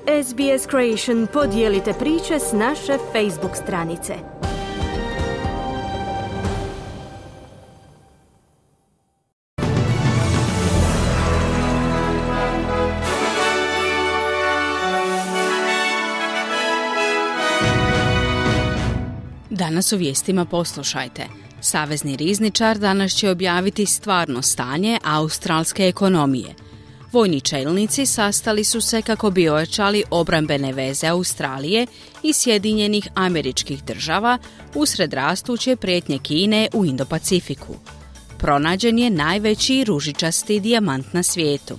SBS Creation podijelite priče s naše Facebook stranice. Danas u vijestima poslušajte. Savezni rizničar danas će objaviti stvarno stanje australske ekonomije. Vojni čelnici sastali su se kako bi ojačali obrambene veze Australije i Sjedinjenih Američkih Država usred rastuće prijetnje Kine u Indo-Pacifiku. Pronađen je najveći ružičasti dijamant na svijetu.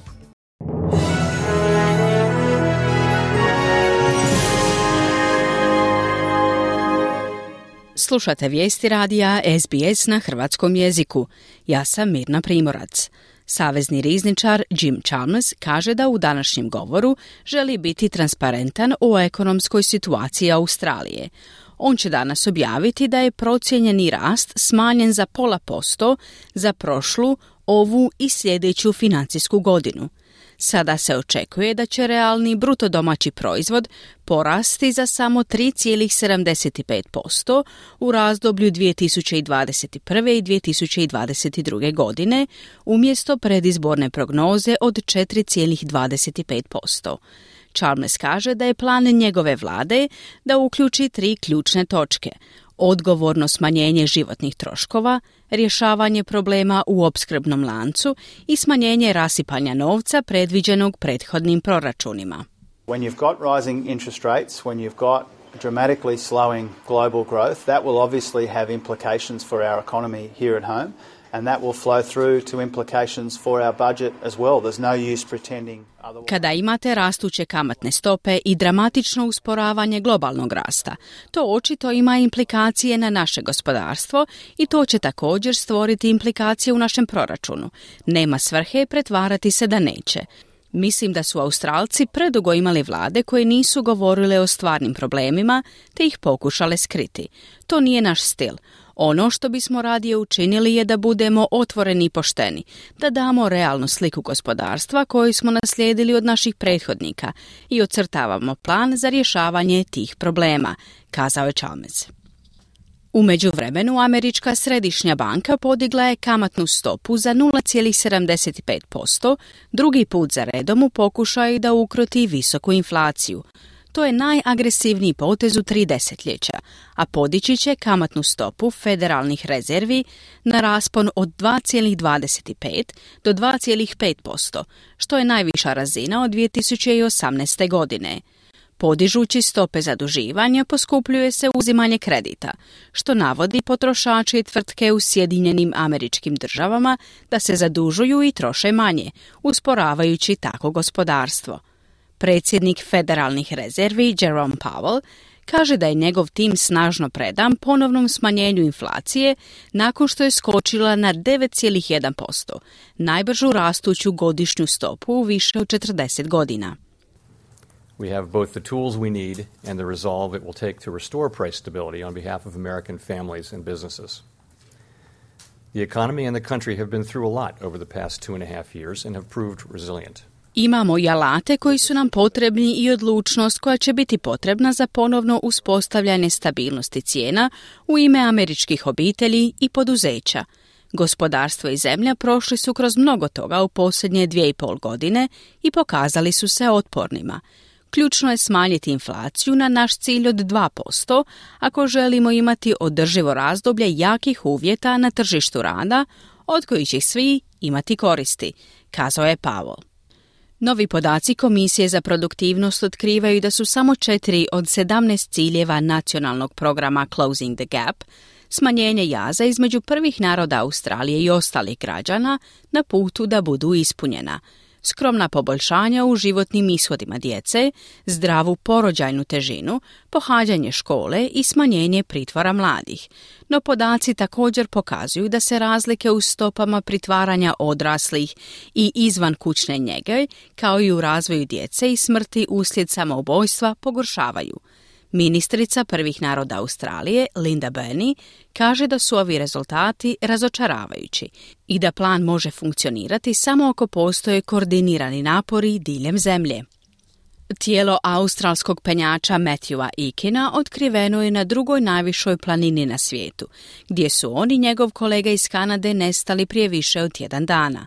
Slušate vijesti radija SBS na hrvatskom jeziku. Ja sam Mirna Primorac. Savezni rizničar Jim Chalmers kaže da u današnjem govoru želi biti transparentan o ekonomskoj situaciji Australije. On će danas objaviti da je procijenjeni rast smanjen za 0,5% za prošlu, ovu i sljedeću financijsku godinu. Sada se očekuje da će realni bruto domaći proizvod porasti za samo 3,75% u razdoblju 2021. i 2022. godine, umjesto predizborne prognoze od 4,25%. Chalmers kaže da je plan njegove vlade da uključi 3 ključne točke: odgovorno smanjenje životnih troškova, rješavanje problema u opskrbnom lancu i smanjenje rasipanja novca predviđenog prethodnim proračunima. When you've got rising interest rates, when you've got dramatically slowing global growth, that will obviously have implications for our economy here at home, and that will flow through to implications for our budget as well. There's no use pretending otherwise. Kada imate rastuće kamatne stope i dramatično usporavanje globalnog rasta, to očito ima implikacije na naše gospodarstvo i to će također stvoriti implikacije u našem proračunu. Nema svrhe pretvarati se da neće. Mislim da su Australci predugo imali vlade koje nisu govorile o stvarnim problemima te ih pokušale skriti. To nije naš stil. Ono što bismo radije učinili je da budemo otvoreni i pošteni, da damo realnu sliku gospodarstva koju smo naslijedili od naših prethodnika i ocrtavamo plan za rješavanje tih problema, kazao je Chalmers. U međuvremenu, Američka središnja banka podigla je kamatnu stopu za 0,75%, drugi put za redom u pokušaju da ukroti visoku inflaciju. To je najagresivniji potez u 3 desetljeća, a podići će kamatnu stopu federalnih rezervi na raspon od 2,25 do 2,5%, što je najviša razina od 2018. godine. Podižući stope zaduživanja poskupljuje se uzimanje kredita, što navodi potrošači i tvrtke u Sjedinjenim Američkim Državama da se zadužuju i troše manje, usporavajući tako gospodarstvo. Predsjednik federalnih rezervi Jerome Powell kaže da je njegov tim snažno predan ponovnom smanjenju inflacije nakon što je skočila na 9,1%, najbržu rastuću godišnju stopu u više od 40 godina. We have both the tools we need and the resolve it will take to restore price stability on behalf of American families and businesses. The economy and the country have been through a lot over the past 2.5 years and have proved resilient. Imamo i alate koji su nam potrebni i odlučnost koja će biti potrebna za ponovno uspostavljanje stabilnosti cijena u ime američkih obitelji i poduzeća. Gospodarstvo i zemlja prošli su kroz mnogo toga u posljednje 2,5 godine i pokazali su se otpornima. Ključno je smanjiti inflaciju na naš cilj od 2% ako želimo imati održivo razdoblje jakih uvjeta na tržištu rada, od kojih će svi imati koristi, kazao je Powell. Novi podaci Komisije za produktivnost otkrivaju da su samo 4 od 17 ciljeva nacionalnog programa Closing the Gap, smanjenje jaza između prvih naroda Australije i ostalih građana, na putu da budu ispunjena. Skromna poboljšanja u životnim ishodima djece, zdravu porođajnu težinu, pohađanje škole i smanjenje pritvora mladih. No podaci također pokazuju da se razlike u stopama pritvaranja odraslih i izvan kućne njege, kao i u razvoju djece i smrti uslijed samoubojstva, pogoršavaju. Ministrica prvih naroda Australije, Linda Burney, kaže da su ovi rezultati razočaravajući i da plan može funkcionirati samo ako postoje koordinirani napori diljem zemlje. Tijelo australskog penjača Matthewa Eakina otkriveno je na drugoj najvišoj planini na svijetu, gdje su on i njegov kolega iz Kanade nestali prije više od tjedan dana.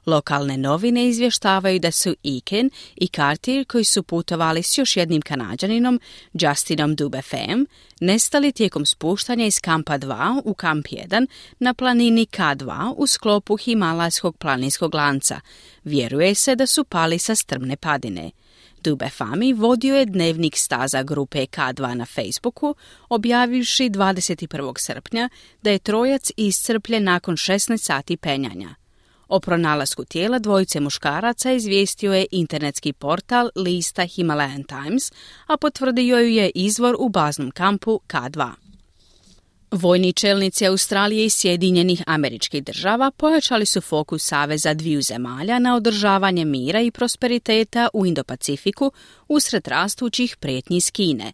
Lokalne novine izvještavaju da su Eakin i Cartier, koji su putovali s još jednim Kanađaninom, Justinom Dubefem, nestali tijekom spuštanja iz kampa 2 u kamp 1 na planini K2 u sklopu Himalajskog planinskog lanca. Vjeruje se da su pali sa strmne padine. Dubefami vodio je dnevnik staza grupe K2 na Facebooku, objavivši 21. srpnja da je trojac iscrpljen nakon 16 sati penjanja. O pronalasku tijela dvojice muškaraca izvijestio je internetski portal lista Himalayan Times, a potvrdio ju je izvor u baznom kampu K2. Vojni čelnici Australije i Sjedinjenih Američkih Država pojačali su fokus saveza dviju zemalja na održavanje mira i prosperiteta u Indo-Pacifiku usred rastućih prijetnji iz Kine.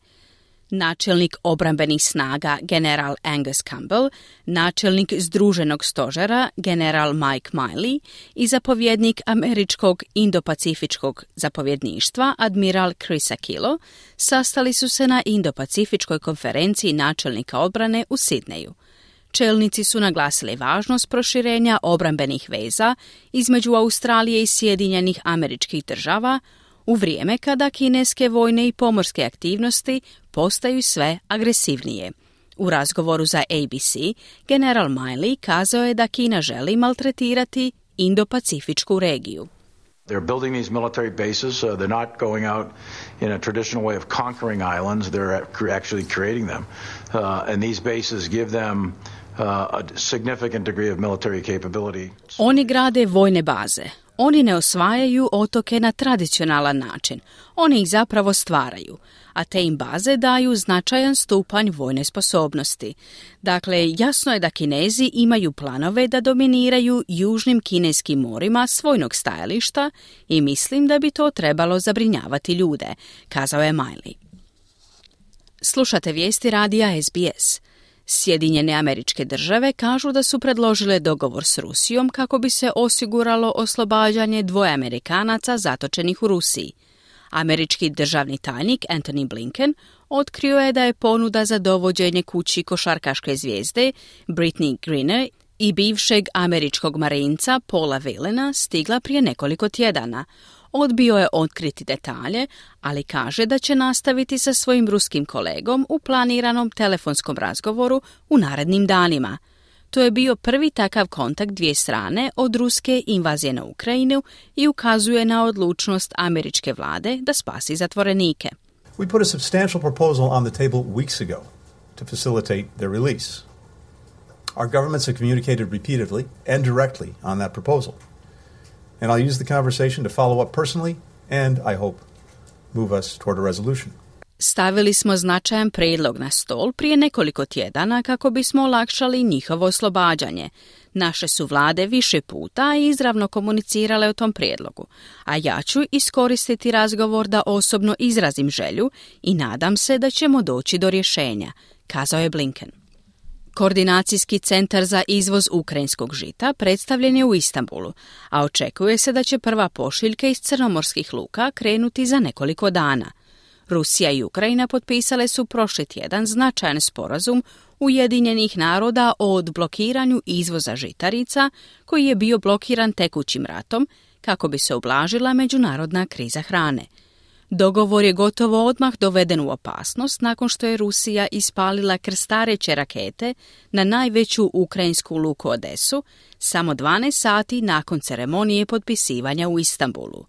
Načelnik obrambenih snaga general Angus Campbell, načelnik Združenog stožera general Mike Miley i zapovjednik američkog Indo-Pacifičkog zapovjedništva admiral Chris Aquilo sastali su se na Indo-Pacifičkoj konferenciji načelnika odbrane u Sidneju. Čelnici su naglasili važnost proširenja obrambenih veza između Australije i Sjedinjenih Američkih Država u vrijeme kada kineske vojne i pomorske aktivnosti postaju sve agresivnije. U razgovoru za ABC, general Miley kazao je da Kina želi maltretirati Indo-Pacifičku regiju. They're building these military bases. They're not going out in a traditional way of conquering islands. They're actually creating them. And these bases give them a significant degree of military capability. Oni grade vojne baze. Oni ne osvajaju otoke na tradicionalan način. Oni ih zapravo stvaraju, a te im baze daju značajan stupanj vojne sposobnosti. Dakle, jasno je da Kinezi imaju planove da dominiraju južnim kineskim morima s vojnog stajališta i mislim da bi to trebalo zabrinjavati ljude, kazao je Miley. Slušate vijesti radija SBS. Sjedinjene Američke Države kažu da su predložile dogovor s Rusijom kako bi se osiguralo oslobađanje dvoje Amerikanaca zatočenih u Rusiji. Američki državni tajnik Antony Blinken otkrio je da je ponuda za dovođenje kući košarkaške zvijezde Brittney Griner i bivšeg američkog marinca Paula Whelana stigla prije nekoliko tjedana. Odbio je otkriti detalje, ali kaže da će nastaviti sa svojim ruskim kolegom u planiranom telefonskom razgovoru u narednim danima. To je bio prvi takav kontakt dvije strane od ruske invazije na Ukrajinu i ukazuje na odlučnost američke vlade da spasi zatvorenike. We put a substantial proposal on the table weeks ago to facilitate their release. Our governments have communicated repeatedly and directly on that proposal. And I'll use the conversation to follow up personally and, I hope, move us toward a resolution. Stavili smo značajan prijedlog na stol prije nekoliko tjedana kako bismo olakšali njihovo oslobađanje. Naše su vlade više puta izravno komunicirale o tom prijedlogu, a ja ću iskoristiti razgovor da osobno izrazim želju i nadam se da ćemo doći do rješenja, kazao je Blinken. Koordinacijski centar za izvoz ukrajinskog žita predstavljen je u Istanbulu, a očekuje se da će prva pošiljka iz crnomorskih luka krenuti za nekoliko dana. Rusija i Ukrajina potpisale su prošli tjedan značajan sporazum Ujedinjenih naroda o odblokiranju izvoza žitarica koji je bio blokiran tekućim ratom kako bi se ublažila međunarodna kriza hrane. Dogovor je gotovo odmah doveden u opasnost nakon što je Rusija ispalila krstareće rakete na najveću ukrajinsku luku Odesu samo 12 sati nakon ceremonije potpisivanja u Istanbulu.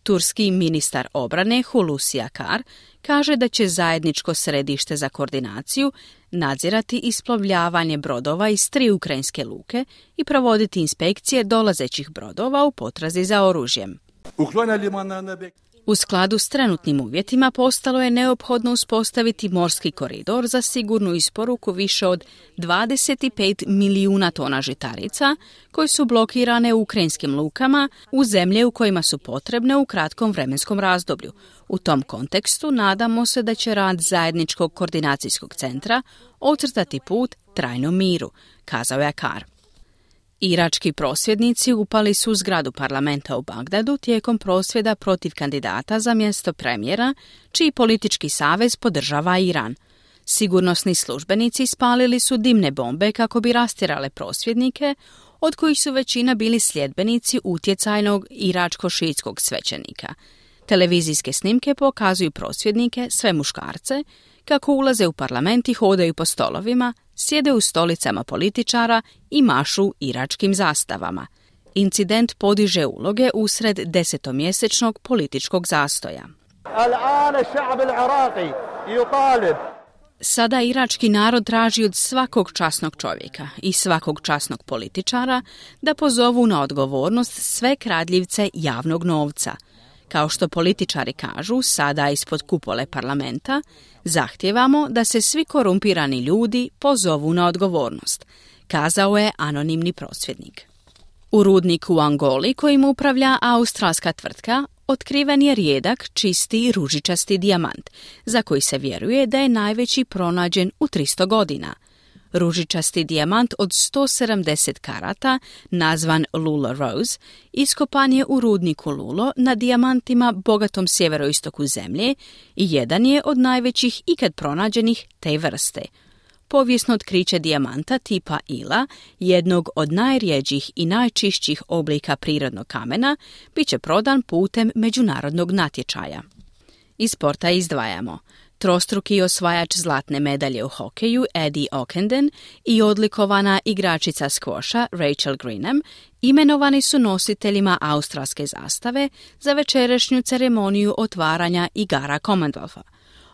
Turski ministar obrane Hulusi Akar kaže da će zajedničko središte za koordinaciju nadzirati isplovljavanje brodova iz 3 ukrajinske luke i provoditi inspekcije dolazećih brodova u potrazi za oružjem. U skladu s trenutnim uvjetima postalo je neophodno uspostaviti morski koridor za sigurnu isporuku više od 25 milijuna tona žitarica koje su blokirane u ukrajinskim lukama u zemlje u kojima su potrebne u kratkom vremenskom razdoblju. U tom kontekstu nadamo se da će rad zajedničkog koordinacijskog centra ocrtati put trajnom miru, kazao je Akar. Irački prosvjednici upali su u zgradu parlamenta u Bagdadu tijekom prosvjeda protiv kandidata za mjesto premijera, čiji politički savez podržava Iran. Sigurnosni službenici spalili su dimne bombe kako bi rastjerale prosvjednike, od kojih su većina bili sljedbenici utjecajnog iračko-šiitskog svećenika. Televizijske snimke pokazuju prosvjednike, sve muškarce, kako ulaze u parlament i hodaju po stolovima, sjede u stolicama političara i mašu iračkim zastavama. Incident podiže uloge usred 10-mjesečnog političkog zastoja. Sada irački narod traži od svakog časnog čovjeka i svakog časnog političara da pozovu na odgovornost sve kradljivce javnog novca. Kao što političari kažu, sada ispod kupole parlamenta, zahtijevamo da se svi korumpirani ljudi pozovu na odgovornost, kazao je anonimni prosvjednik. U rudniku u Angoli, kojim upravlja australska tvrtka, otkriven je rijedak, čisti, ružičasti dijamant, za koji se vjeruje da je najveći pronađen u 300 godina. Ružičasti dijamant od 170 karata, nazvan Lulo Rose, iskopan je u rudniku Lulo na dijamantima bogatom sjeveroistoku zemlje i jedan je od najvećih ikad pronađenih te vrste. Povijesno otkriće dijamanta tipa Ila, jednog od najrjeđih i najčišćih oblika prirodnog kamena, bit će prodan putem međunarodnog natječaja. Iz sporta izdvajamo trostruki osvajač zlatne medalje u hokeju Eddie Ockenden i odlikovana igračica skvoša Rachel Greenham imenovani su nositeljima australske zastave za večerašnju ceremoniju otvaranja igara Commonwealtha.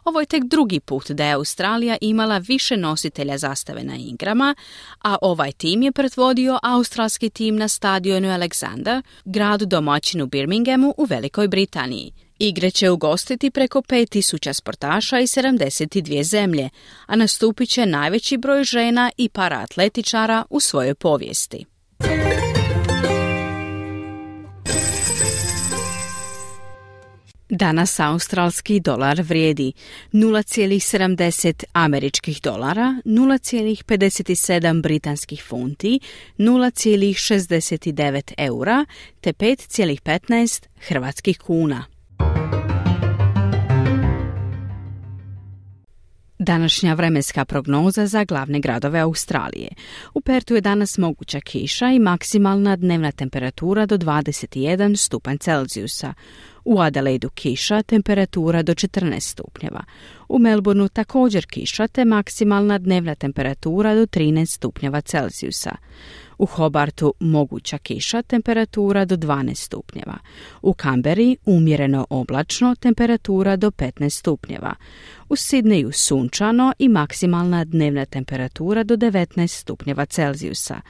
Ovo je tek drugi put da je Australija imala više nositelja zastave na igrama, a ovaj tim je predvodio australski tim na stadionu Alexander, gradu domaćinu Birminghamu u Velikoj Britaniji. Igre će ugostiti preko 5000 sportaša i 72 zemlje, a nastupit će najveći broj žena i paraatletičara u svojoj povijesti. Danas australski dolar vrijedi 0,70 američkih dolara, 0,57 britanskih funti, 0,69 eura te 5,15 hrvatskih kuna. Današnja vremenska prognoza za glavne gradove Australije. U Pertu je danas moguća kiša i maksimalna dnevna temperatura do 21 stupanj Celzijusa. U Adelaidu kiša, temperatura do 14 stupnjeva. U Melbourneu također kiša te maksimalna dnevna temperatura do 13 stupnjeva Celzijusa. U Hobartu moguća kiša, temperatura do 12 stupnjeva. U Canberri umjereno oblačno, temperatura do 15 stupnjeva. U Sidneju sunčano i maksimalna dnevna temperatura do 19 stupnjeva Celzijusa.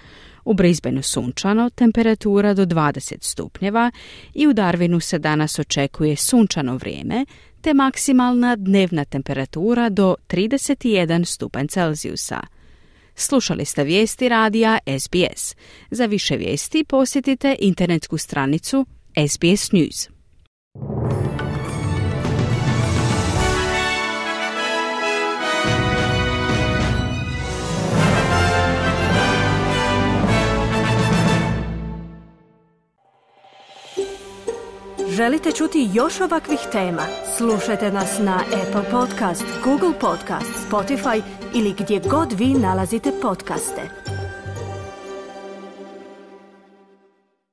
U Brisbaneu sunčano, temperatura do 20 stupnjeva i u Darwinu se danas očekuje sunčano vrijeme te maksimalna dnevna temperatura do 31 stupanj Celzijusa. Slušali ste vijesti radija SBS. Za više vijesti posjetite internetsku stranicu SBS News. Želite čuti još ovakvih tema? Slušajte nas na Apple Podcast, Google Podcast, Spotify ili gdje god vi nalazite podcaste.